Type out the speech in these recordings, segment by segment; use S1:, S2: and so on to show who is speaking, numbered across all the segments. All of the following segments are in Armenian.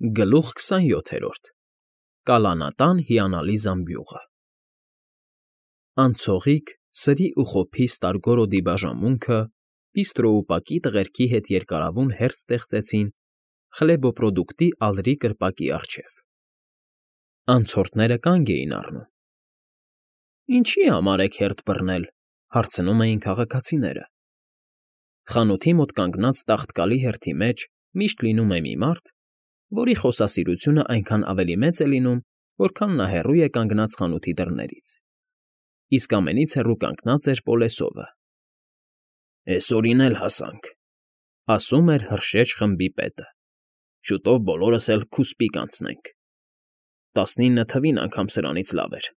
S1: Գլուխ 27 Կալանատան հիանալի զամբյուղը Անցողիկ, սրի ու խոփի Ստարգորոդի բաժանմունքը բիստրոուպակի տղերքի հետ երկարավուն հերթ ստեղծեցին խլեբոպրոդուկտի ալրի կրպակի առջև։ Անցորդները կանգ էին առնում։ Ինչի՞ համար եք հերթ բռնել, հարցնում էին քաղաքացիները։ Խանութի մոտ կանգնած տաղտկալի հերթի մեջ միշտ լինում է մի մարդ, որի խոսասիրությունը այնքան ավելի մեծ է լինում, որքան նա հեռու է կանգնած խանութի դռներից։ Իսկ ամենից հեռու կանգնած էր Պոլեսովը։ «Էսօրին էլ հասանք», ասում էր հրշեջ խմբի պետը։ «Շուտով բոլորս էլ քուսպի կանցնենք։ 19 թվին անգամ սրանից լավ էր։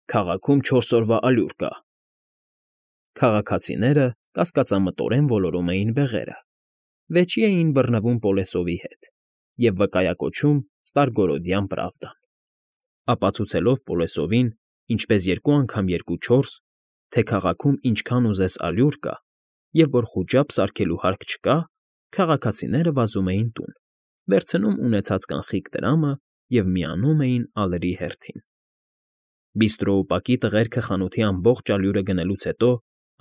S1: Քաղաքում 4 օրվա ալյուր կա»։ Քաղաքացիները կասկածամտորեն ոլորում էին բեղերը, վեճի էին բռնվում Պոլեսովի հետ և վկայակոչում Ստարգորոդյան Պրավդան, ապացուցելով Պոլեսովին, ինչպես 2 անգամ 2 4, թե քաղաքում ինչքան ուզես ալյուր կա, և որ խուճապ սարքելու հարկ չկա, քաղաքացիները վազում էին տուն, վերցնում ունեցած կանխիկ տրամը և միանում էին ալրի հերթին։ Բիստրոուպակի տղերքը խանութի ամբողջ ալյուրը գնելուց հետո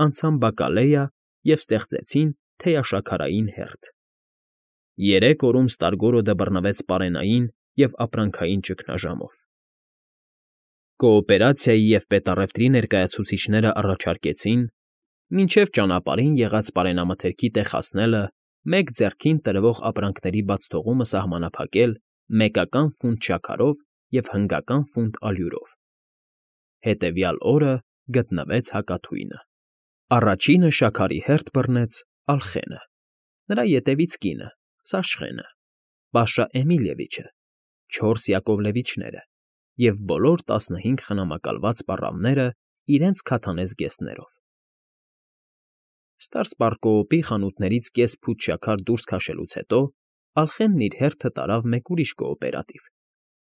S1: անցան բակալեյա և ստեղծեցին թեյաշաքարային հերթ։ 3 օրում Ստարգորոդը բռնվեց պարենային և ապրանքային ճգնաժամով։ Կոոպերացիայի և պետառևտրի ներկայացուցիչները առաջարկեցին, մինչև ճանապարհին եղած պարենամթերքի տեղ հասնելը, մեկ ձեռքին տրվող ապրանքների բացթողումը սահմանափակել մեկական ֆունտ շաքարով և հնգական ֆունտ ալյուրով։ Հետևյալ օրը գտնվեց հակաթույնը։ Առաջինը շաքարի հերթ բռնեց Ալխենը, նրա ետևից կինը՝ Սաշխենը, Պաշա Էմիլևիչը, 4 Յակովլևիչները և բոլոր 15 խնամակալված պառավները իրենց քաթանե զգեստներով։ Ստարսպարկոոպի խանութներից կես փութ շաքար դուրս քաշելուց հետո Ալխենն իր հերթը տարավ մեկ ուրիշ կոոպերատիվ,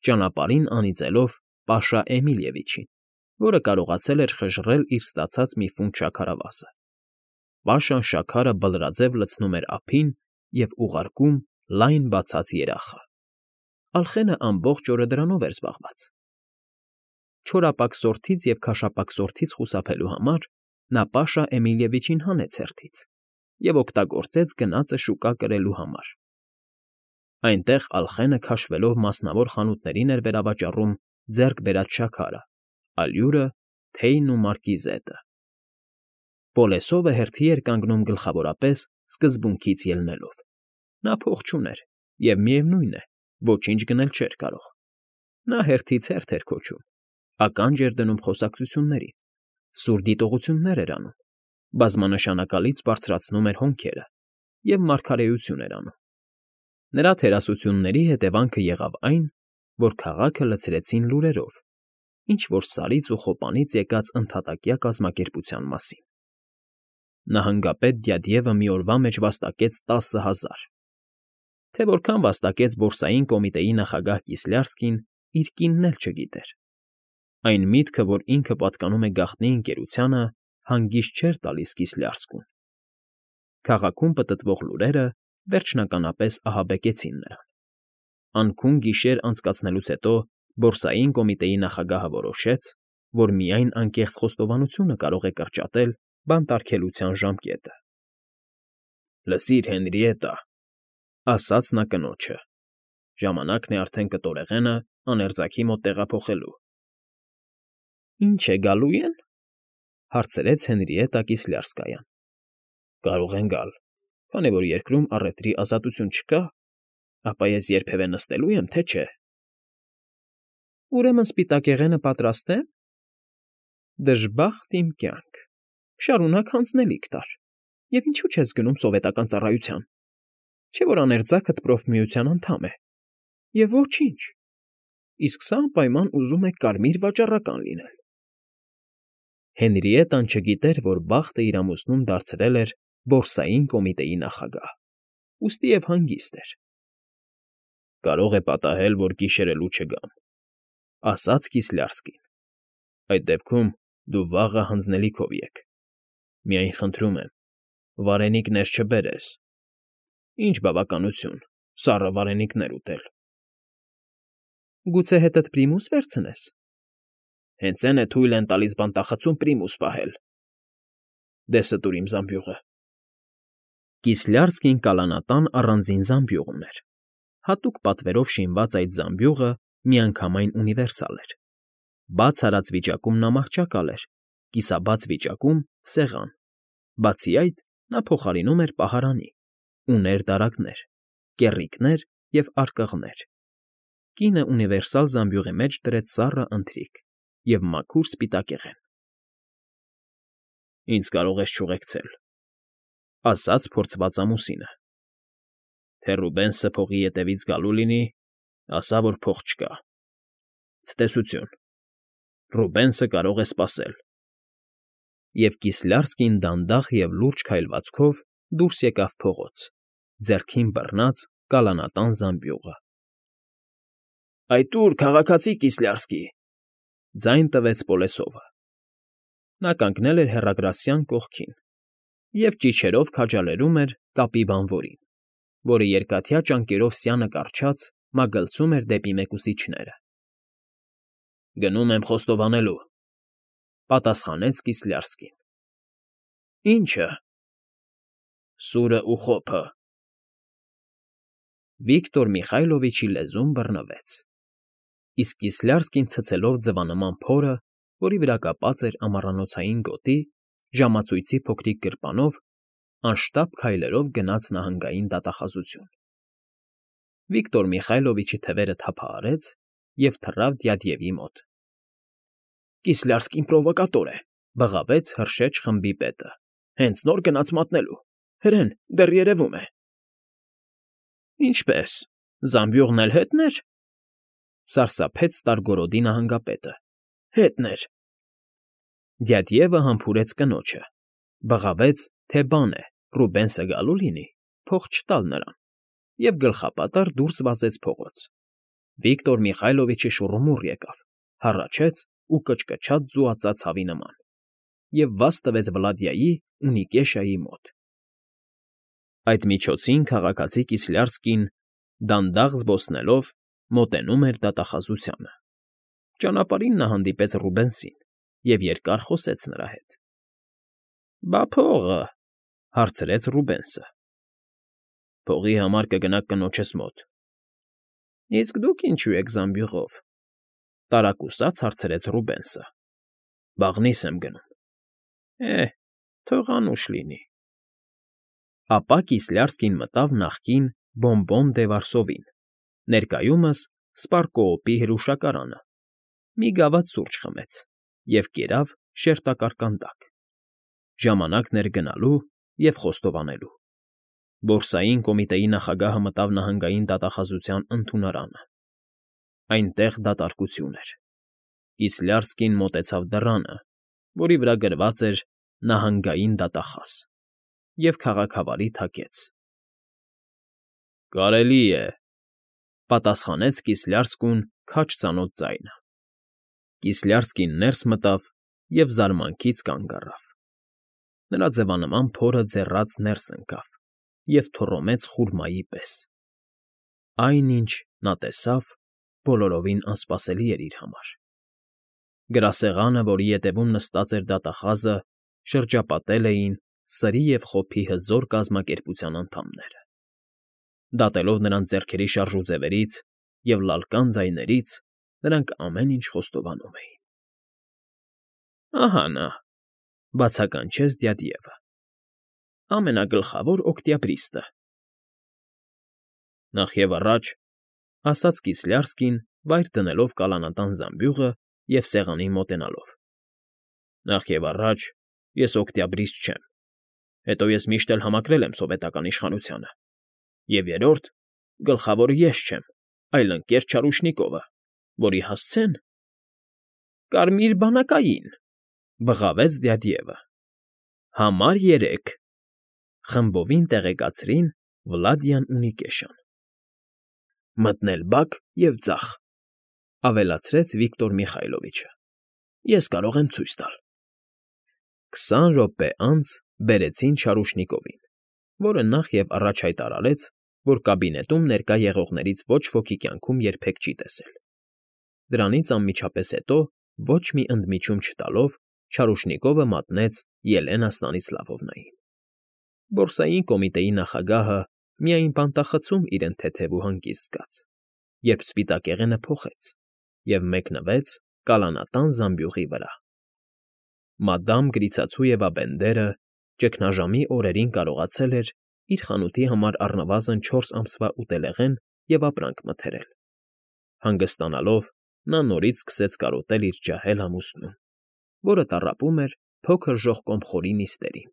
S1: ճանապարհին անիծելով Պաշա Էմիլևիչին, որը կարողացել էր խժռել իր ստացած մի ֆունտ շաքարավազը։ Պաշան շաքարը բլրաձև լցնում էր ափին և ուղարկում լայն բացած երախը։ Ալխենը ամբողջ օրը դրանով էր զբաղված։ Չորապակսորթից և քաշապակսորթից խուսափելու համար նա Պաշա Էմիլևիչին հանեց հերթից և օգտագործեց գնածը շուկա կրելու համար։ Այնտեղ Ալխենը քաշվելով մասնավոր խանութներին էր վերավաճառում ձեռք բերած շաքարը, ալյուրը, թեյն ու մարկիզետը։ Պոլեսովը հերթի էր կանգնում գլխավորապես սկզբունքից ելնելով։ Նա փող չուներ և, միևնույն է, ոչինչ գնել չէր կարող։ Նա հերթից հերթ էր քոչում, ականջ էր դնում խոսակցություններին, սուր դիտողություններ էր անում, բազմանշանակալից բարձրացնում էր հոնքերը և մարգարեություն էր անում։ Նրա թերասությունների հետևանքը եղավ այն, որ քաղաքը լցրեցին լուրերով, ինչ֊որ Սարից ու Խոպանից եկած ընդհատակյա կազմակերպության մասին։ Նահանգապետ Դյադյևը մի օրվա մեջ վաստակեց 10,000։ Թե որքան վաստակեց Բորսային կոմիտեի նախագահ Կիսլյարսկին, իր կինն էլ չգիտեր։ Այն միտքը, որ ինքը պատկանում է գաղտնի ընկերությանը, հանգիստ չէր տալիս Կիսլյարսկուն։ Քաղաքում պտտվող լուրերը վերջնականապես ահաբեկեցին նրան։ Անքուն գիշեր անցկացնելուց հետո Բորսային կոմիտեի նախագահը որոշեց, որ միայն անկեղծ խոստովանությունը կարող է կրճատել բանտարկելության ժամկետը։ «Լսիր, Հենրիետա», ասաց նա կնոջը, «ժամանակն է արդեն կտորեղենը աներձանքի մոտ տեղափոխելու»։ «Ինչ է, գալո՞ւ են», հարցրեց Հենրիետա Կիսլյարսկայան։ «Կարող են գալ, քանի որ երկրում առևտրի ազատություն չկա, ապա ես երբևէ նստելու եմ, թե չէ»։ «Ուրեմն սպիտակեղենը պատրաստ է»։ «Դժբախտ իմ կյանք, շարունակ հանձնելիք տար, և ինչո՞ւ չես գնում սովետական ծառայության, չէ՞ որ աներձակդ проֆմիության անդամ է։ Եվ ոչինչ, իսկ սա անպայման ուզում է կարմիր վաճառական լինել»։ Հենրիետան չգիտեր, որ բախտը իր ամուսնուն դարձրել էր Բորսային կոմիտեի նախագահ, ուստի և հանգիստ էր։ «Կարող է պատահել, որ գիշերելու չգամ», ասաց Կիսլյարսկին։ «Այդ դեպքում դու վաղը հանձնելիքով եկ։ Միայն խնդրում եմ, վարենիք ներս չբերես։ Ինչ բավականություն սառը վարենիքներ ուտել։ Գուցե հետդ Պրիմուս վերցնես։ Հենց այն է թույլ են տալիս բանտախցում Պրիմուս պահել։ Դե ստուր իմ զամբյուղը։ Կիսլյարսկին կալանատան առանձին զամբյուղ ուներ։ Հատուկ պատվերով շինված այդ զամբյուղը միանգամայն ունիվերսալ էր։ Բաց արած վիճակում նա մահճակալ էր, կիսաբաց վիճակում՝ սեղան։ Բացի այդ, նա փոխարինում էր պահարանի, ուներ դարակներ, կեռիկներ և արկղներ։ Կինը ունիվերսալ զամբյուղի մեջ դրեց սառը ընթրիք և մաքուր սպիտակեղեն։ Ինձ կարող ես չուղեկցել,֊ ասաց փորձված ամուսինը։ Թե Ռուբենսը փողի ետևից գալու լինի, ասա, որ փող չկա։ Ցտեսություն, Ռուբենսը կարող է սպասել։ Եվ Կիսլյարսկին դանդաղ և լուրջ քայլվածքով դուրս եկավ փողոց, ձեռքին բռնած կալանատան զամբյուղը։ Այդ ո՞ւր, քաղաքացի Կիսլյարսկի,֊ ձայն տվեց Պոլեսովը։ Նա կանգնել էր հեռագրասյան կողքին և ճիչերով քաջալերում էր կապի բանվորին, որը երկաթյա ճանկերով սյանը կառչած մագլցում էր դեպի մեկուսիչները։ Գնում եմ խոստովանելու,֊ պատասխանեց Կիսլյարսկին։ Ի՞նչը։ Սուրը ու խոփը։ Վիկտոր Միխայլովիչի լեզուն բռնվեց, իսկ Կիսլյարսկին ցցելով ձվանման փորը, որի վրա կապած էր ամառանոցային գոտի, ժամացույցի փոքրիկ գրպանով, անշտապ քայլերով գնաց նահանգային դատախազություն։ Վիկտոր Միխայլովիչի թևերը թափահարեց և թռավ Դյադյևի մոտ։ Կիսլյարսկին պրովոկատոր է,֊ բղավեց հրշեջ խմբի պետը։ Հենց նոր գնաց մատնելու։ Հրեն, դեռ երևում է։ Ինչպե՞ս, զամբյուղն էլ հետն էր,֊ սարսափեց Ստարգորոդի նահանգապետը։ Հետն էր։ Դյադյևը համբուրեց կնոջը, բղավեց, թե բան է, Ռուբենսը գալու լինի, փող չտալ նրան, և գլխապատառ դուրս վազեց փողոց։ Վիկտոր Միխայլովիչը շուռումուռ եկավ, հառաչեց ու կչկչաց ձուածած հավի նման և վազ տվեց Վլադիայի ու Նիկեշայի մոտ։ Այդ միջոցին քաղաքացի Կիսլյարսկին, դանդաղ զբոսնելով, մոտենում էր դատախազությանը։ Ճանապարհին նա հանդիպեց Ռուբենսին և երկար խոսեց նրա հետ։ Բա փողը,֊ հարցրեց Ռուբենսը։ Փողի համար կգնաք կնոջս մոտ։ Իսկ դուք ինչու եք զամբյուղով,֊ տարակուսած հարցրեց Ռուբենսը։ Բաղնիս եմ գնում։ Թող անուշ լինի։ Ապա Կիսլյարսկին մտավ նախկին Բոն֊Բոն դե Վարսովին, ներկայումս Սպարկոոպի հրուշակարանը, մի գավաթ սուրճ խմեց և կերավ շերտակար կանդակ։ Ժամանակն էր գնալու և խոստովանելու։ Բորսային կոմիտեի նախագահը մտավ նահանգային դատախազության ընդունարանը։ Այնտեղ դատարկություն էր։ Կիսլյարսկին մոտեցավ դռանը, որի վրա գրված էր «Նահանգային դատախազ», և քաղաքավարի թակեց։ Կարելի է,֊ պատասխանեց Կիսլյարսկուն քաջ ծանոթ ձայնը։ Կիսլյարսկին ներս մտավ և զարմանքից կանգ առավ։ Նրա ձվանման փորը ձեռաց ներս ընկավ և թոռոմեց խուրմայի պես։ Այն, ինչ նա տեսավ, բոլորովին անսպասելի էր իր համար։ Գրասեղանը, որի ետևում նստած էր դատախազը, շրջապատել էին սրի և խոփի հզոր կազմակերպության անդամները։ Դատելով նրանց ձեռքերի շարժուձևերից և լալկան ձայներից, նրանք ամեն ինչ խոստովանում էին։ Ահա նա,֊ բացականչեց Դյադյևը,֊ ամենագլխավոր օկտյաբրիստը։ Նախևառաջ,֊ ասաց Կիսլյարսկին, վայր դնելով կալանատան զամբյուղը և սեղանին մոտենալով,֊ նախևառաջ ես օկտյաբրիստ չեմ, հետո ես միշտ էլ համակրել եմ սովետական իշխանությանը, և երրորդ, գլխավորը ես չեմ, այլ ընկեր Չարուշնիկովը, որի հասցեն… Կարմիր բանակային,֊ բղավեց Դյադյևը,֊ համար 3… Խմբովին տեղեկացրին Վլադիան ու Նիկեշան։ Մտնել բակ և ձախ,֊ ավելացրեց Վիկտոր Միխայլովիչը։ Ես կարող եմ ցույց տալ։ 20 րոպե անց բերեցին Չարուշնիկովին, որը նախ և առաջ հայտարարեց, որ կաբինետում ներկա եղողներից ոչ ոքի կյանքում երբեք չի տեսել։ Դրանից անմիջապես հետո, ոչ մի ընդմիջում չտալով, Չարուշնիկովը մատնեց Ելենա Ստանիսլավովնային։ Բորսային կոմիտեի նախագահը միայն բանտախցում իրեն թեթև ու հանգիստ զգաց, երբ սպիտակեղենը փոխեց և մեկնվեց կալանատան զամբյուղի վրա։ Մադամ Գրիցացույևա֊Բենդերը ճգնաժամի օրերին կարողացել էր իր խանութի համար առնվազն 4 ամսվա ուտելեղեն և ապրանք մթերել։ Հանգստանալով, նա նորից սկսեց կարոտել իր ջահել ամուսնուն, որը տառապում էր փոքր ժողկոմ խորի նիստերին։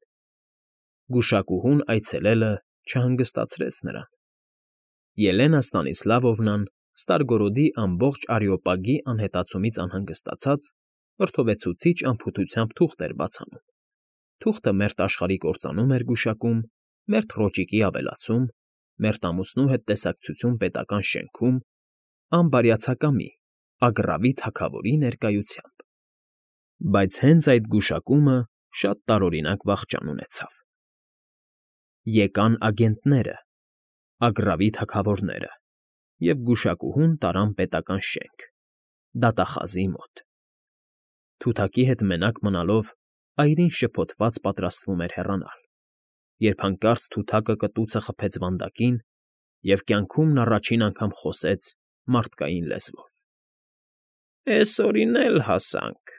S1: Գուշակուհուն այցելելը չհանգստացրեց նրան։ Ելենա Ստանիսլավովնան, Ստարգորոդի ամբողջ Արեոպագի անհետացումից անհանգստացած, վրդովեցուցիչ անփութությամբ թուղթ էր բաց անում։ Թուղթը մերթ աշխարհի կործանում էր գուշակում, մերթ ռոճիկի ավելացում, մերթ ամուսնու հետ տեսակցություն պետական շենքում, անբարյացակամի, Ագռավի թագավորի ներկայությամբ։ Բայց հենց այդ գուշակումը շատ տարօրինակ վախճան ունեցավ։ Եկան ագենտները, Ագռավի թագավորները, և գուշակուհուն տարան պետական շենք, դատախազի մոտ։ Թութակի հետ մենակ մնալով, այրին շփոթված պատրաստվում էր հեռանալ, երբ հանկարծ թութակը կտուցը խփեց վանդակին, և կյանքում նա առաջին անգամ խոսեց մարդկային լեզվով։ «Էսօրին էլ հասանք»,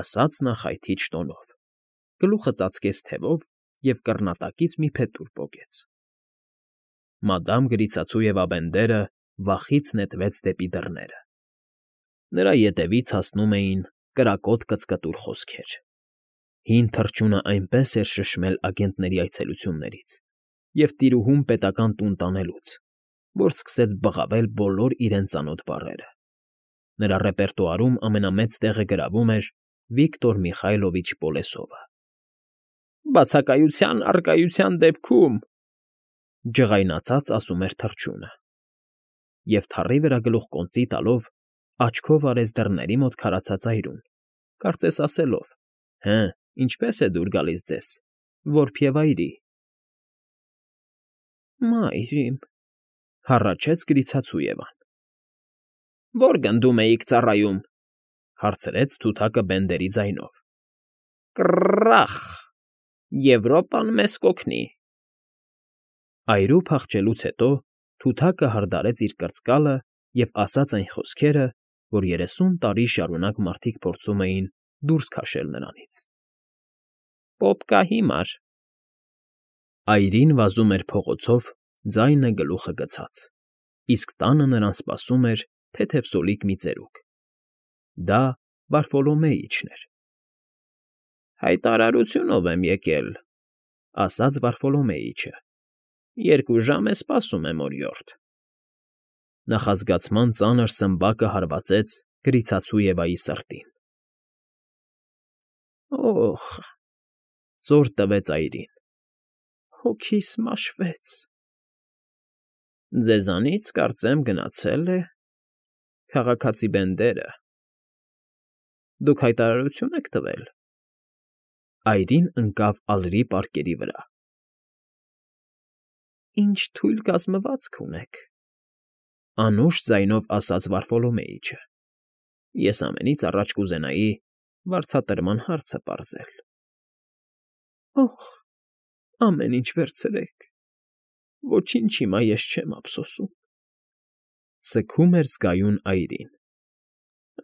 S1: ասաց նա խայթիչ տոնով, գլուխը ծածկեց թևով և կռնատակից մի փետուր պոկեց։ Մադամ Գրիցացույևա֊Բենդերը վախից նետվեց դեպի դռները։ Նրա ետևից հասնում էին կրակոտ կծկտուր խոսքեր։ Հին թռչունը այնպես էր շշմել ագենտների այցելություններից և տիրուհուն պետական տուն տանելուց, որ սկսեց բղավել բոլոր իրեն ծանոթ բառերը։ Նրա ռեպերտուարում ամենամեծ տեղը գրավում էր Վիկտոր Միխայլովիչ Պոլեսովը։ «Բացակայության առկայության դեպքում», ջղայնացած ասում էր թռչունը, և թառի վրա գլուխկոնծի տալով աչքով արեց դռների մոտ քարացած այրուն, կարծես ասելով. «Հը, ինչպե՞ս է դուր գալիս ձեզ, որբ և այրի»։ «Մայր իմ», հառաչեց Գրիցացույևան։ «Ո՞ր գնդում էիք ծառայում», հարցրեց թութակը Բենդերի ձայնով։ «Կռռախ, Եվրոպան մեզ կօգնի»։ Այրու փախչելուց հետո թութակը հարդարեց իր կրծկալը և ասաց այն խոսքերը, որ 30 տարի շարունակ մարդիկ փորձում էին դուրս քաշել նրանից։ «Պոպ կա հիմար»։ Այրին վազում էր փողոցով, ձայնը գլուխը գցած, իսկ տանը նրան սպասում էր թեթևսոլիկ մի ծերուկ։ Դա Վարֆոլոմեիչն էր։ «Հայտարարությունով եմ եկել», ասաց Վարֆոլոմեիչը։ «2 ժամ է սպասում եմ, օրիորդ»։ Նախազգացման ծանր սմբակը հարվածեց Գրիցացույևայի սրտին։ «Օխ», ծոր տվեց այրին, «հոգիս մաշվեց»։ «Ձեզանից, կարծեմ, գնացել է քաղաքացի Բենդերը։ Դուք հայտարարություն եք տվել»։ Այրին ընկավ ալրի պարկերի վրա։ «Ինչ թույլ կազմվածք ունեք», անուշ ձայնով ասաց Վարֆոլոմեիչը։ «Ես ամենից առաջ կուզենայի վարձատրման հարցը պարզել»։ «Օխ, ամեն ինչ վերցրեք, ոչինչ հիմա ես չեմ ափսոսում», սգում էր զգայուն այրին։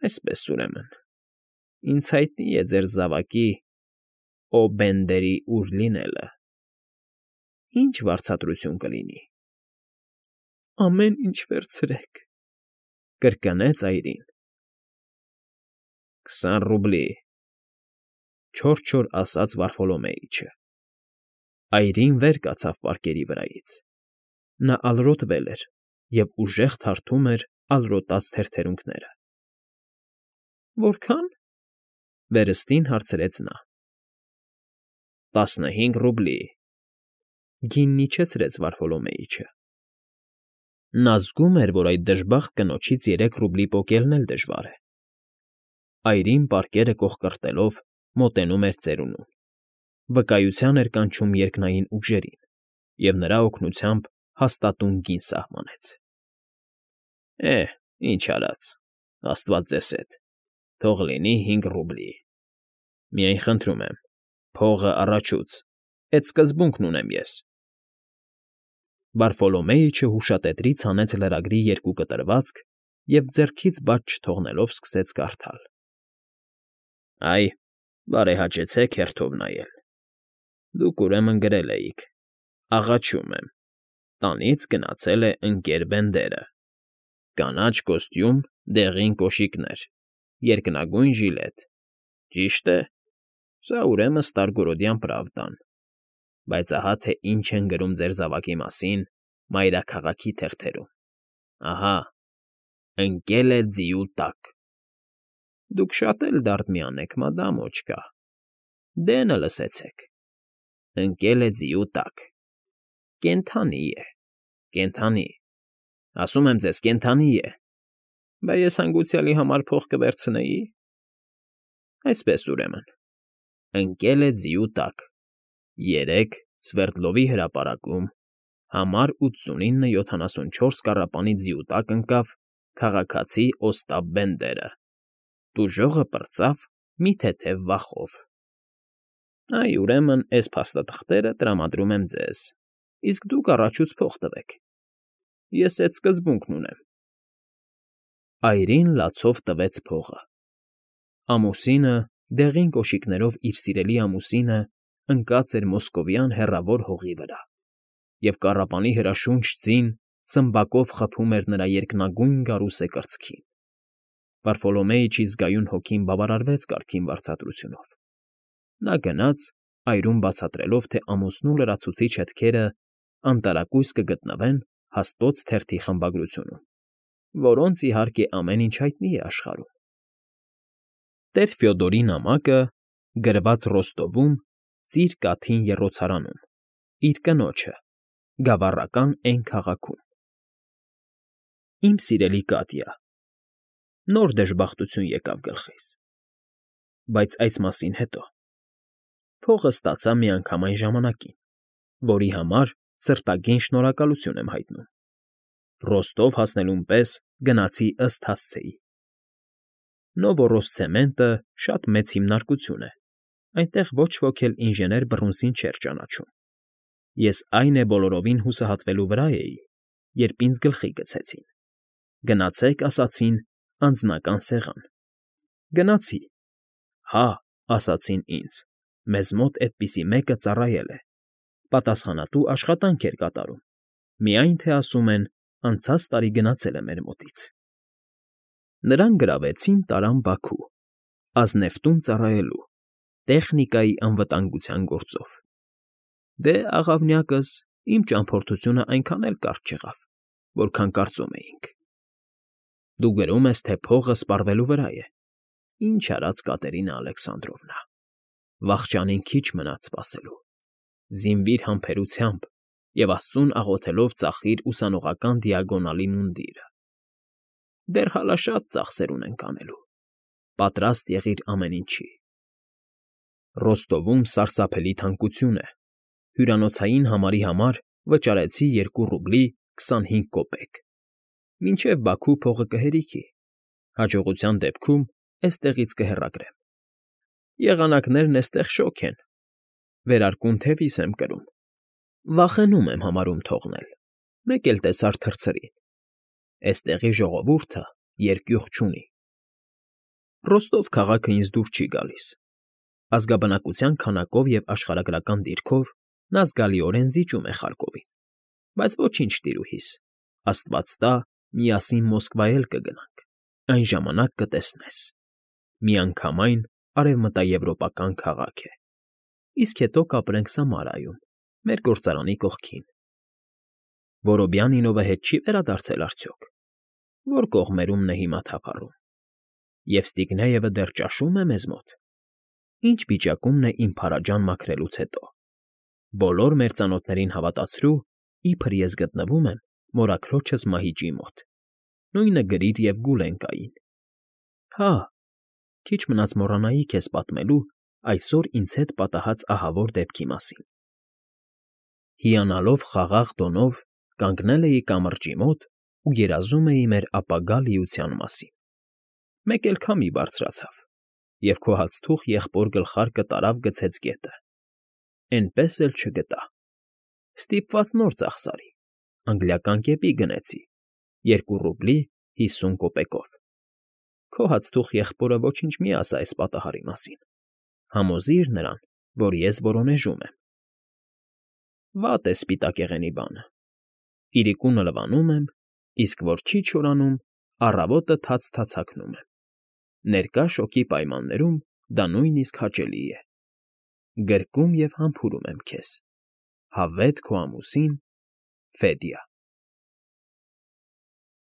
S1: «Այսպես, ուրեմն, ինձ հայտնի է ձեր զավակի Օ֊Բենդերի ուր լինելը։ Ի՞նչ վարձատրություն կլինի»։ «Ամեն ինչ վերցրեք», կրկնեց այրին։ 20 ռուբլի, չոր ասաց Վարֆոլոմեիչը։ Այրին վեր կացավ պարկերի վրայից։ Նա ալրոտվել էր և ուժեղ թարթում էր ալրոտած թերթերունքները։ «Որքա՞ն»։ վերստին հարցրեց նա։ 15 ռուբլի, գինն իջեցրեց Վարֆոլոմեիչը։ Նա զգում էր, որ այդ դժբախտ կնոջից 3 ռուբլի պոկելն էլ դժվար է։ Այրին պարկերը կոխկրտելով մոտենում էր ծերունուն, վկայության էր կանչում երկնային ուժերին և նրա օգնությամբ հաստատուն գին սահմանեց։ «Ինչ արած, Աստված ձեզ հետ, թող լինի 5 ռուբլի։ Միայն խնդրում եմ, փողը առաջուց, էդ սկզբունքն ունեմ ես։ Վարֆոլոմեյը հուշատետրից հանեց լրագրի 2 կտրվածք և ձեռքից բաց չթողնելով սկսեց կարդալ. Այ, բարեհաճեցեք հերթով նայել։ Դուք ուրեմն գրել էիք. աղաչում եմ, տանից գնացել է ընկեր Բենդերը, կանաչ կոստյում, դեղին կոշիկներ, երկնագույն ժիլետ, ճիշտ է, սա ուրեմն Ստարգորոդյան Պրավդան, բայց ահա թե ինչ են գրում ձեր զավակի մասին մայրաքաղաքի թերթերում. ահա, ընկել է ձիու տակ։ Դուք շատ էլ դարդմյան եք, մադամ Օչկա, դենը լսեցեք, ընկել է ձիու տակ, կենդանի է, կենդանի, ասում եմ ձեզ, կենդանի է, բա ես հանգուցյալի համար փող կվերցնեի։ Այսպես ուրեմն, ընկել է ձիու տակ, 3 Սվերդլովի հրապարակում, համար 8974 կառապանի ձիու տակ ընկավ քաղաքացի Օստապ Բենդերը, տուժողը պրծավ մի թեթև վախով։ Այ, ուրեմն, էս փաստաթղթերը տրամադրում եմ ձեզ, իսկ դուք առաջուց փող տվեք։ Ես էդ սկզբունքն ունեմ։ Այրին լացով տվեց փողը։ Ամուսինը, դեղին կոշիկներով իր սիրելի ամուսինը, ընկած էր մոսկովյան հեռավոր հողի վրա, և կառապանի հրաշունչ ձին սմբակով խփում էր նրա երկնագույն գարուսե կրծքին։ Վարֆոլոմեյիչի զգայուն հոգին բավարարվեց կարգին վարձատրությունով։ Նա գնաց, այրում բացատրելով, թե ամուսնու լրացուցիչ հետքերը անտարակույս կգտնվեն Հաստոց թերթի խմբագրությունում, որոնց, իհարկե, ամեն ինչ հայտնի է աշխարհում։ Տեր Ֆյոդորի նամակը գրված Ռոստովում, Ծիր Կաթին եռոցարանում, իր կնոջը, գավառական Էն քաղաքում։ Իմ սիրելի Կատյա, նոր դժբախտություն եկավ գլխիս, բայց այս մասին հետո։ Փողը ստացա միանգամայն ժամանակին, որի համար սրտագին շնորհակալություն եմ հայտնում։ Ռոստով հասնելուն պես գնացի ըստ հասցեի։ Նովորոսցեմենտը շատ մեծ հիմնարկություն է, այնտեղ ոչ ոք էլ ինժեներ Բռունսին չէր ճանաչում։ Ես այն է բոլորովին հուսահատվելու վրա էի, երբ ինձ գլխի գցեցին. գնացեք, ասացին, անձնական սեղան։ Գնացի։ Հա, ասացին ինձ, մեզ մոտ էդպիսի մեկը ծառայել է, պատասխանատու աշխատանք էր կատարում, միայն թե ասում են, անցած տարի գնացել է մեր մոտից։ Նրան գրավեցին, տարան Բաքու, ազնևտուն ծառայելու, տեխնիկայի անվտանգության գործով։ Դե, աղավնյակս, իմ ճամփորդությունը այնքան էլ կարճ չեղավ, որքան կարծում էինք։ Դու գրում ես, թե փողը սպառվելու վրա է։ Ինչ արած Կատերինա Ալեքսանդրովնա, վախճանին քիչ մնաց սպասելու։ Զինվիր համբերությամբ և Աստծուն աղոթելով ծախիր ուսանողական դիագոնալի մունդիրը։ Դեռ հալա շատ ծախսեր ունենք անելու։ Պատրաստ եղիր ամեն ինչի։ Ռոստովում սարսափելի թանկություն է։ Հյուրանոցային համարի համար վճարեցի 2 ռուբլի 25 կոպեկ։ Մինչև Բաքու փողը կհերիքի։ Հաջողության դեպքում էստեղից կհեռագրեմ։ Եղանակներն էստեղ շոգ են։ Վերարկուն թևիս եմ կրում։ Վախենում եմ համարում թողնել։ Մեկ էլ տեսար թռցրին։ Էստեղի ժողովուրդը երկյուղ չունի։ Ռոստով քաղաքը ինձ դուր չի գալիս։ Ազգաբնակության քանակով և աշխարհագրական դիրքով նա զգալիորեն զիջում է Խարկովին։ Բայց ոչինչ, տիրուհիս, Աստված տա, միասին Մոսկվա էլ կգնանք, այն ժամանակ կտեսնես։ Միանգամայն արևմտաեվրոպական քաղաք է։ Իսկ հետո կապրենք Սամարայում, մեր գործարանի կողքին։ Որոբյանինովը հետ չի վերադարձել արդյոք։ Որ կողմերումն է հիմա թափառում։ Եվստիգնեևը դեռ ճաշո՞ւմ է մեզ մոտ։ Ինչ վիճակումն է իմ փարաջան մաքրելուց հետո։ Բոլոր մեր ծանոթներին հավատացրու, իբր ես գտնվում եմ մորաքրոջս Մահիճի մոտ։ Նույնը գրիր և Գուլենկային։ Հա, քիչ մնաց մոռանայի քեզ պատմելու այսօր ինձ հետ պատահած ահավոր դեպքի մասին։ Հիանալով խաղաղ տոնով կանգնել էի կամրջի մոտ ու երազում էի մեր ապագա լիության մասին։ Մեկ էլ քամի բարձրացավ, և քո հացթուխ եղբոր գլխարկը տարավ գցեց գետը, էնպես էլ չգտա։ Ստիպված նոր ծախսարի, անգլիական կեպի գնեցի, 2 ռուբլի 50 կոպեկով։ Քո հացթուխ եղբորը ոչինչ մի ասա այս պատահարի մասին, համոզի՛ր նրան, որ ես որոնեժում եմ։ Վատ է սպիտակեղենի բանը. իրիկունը լվանում եմ, իսկ որ չի չորանում, առավոտը թաց հագնում եմ. ներկա շոգի պայմաններում դա նույնիսկ հաճելի է։ Գրկում և համբուրում եմ քեզ, հավետ քո ամուսին՝ Ֆեդյա։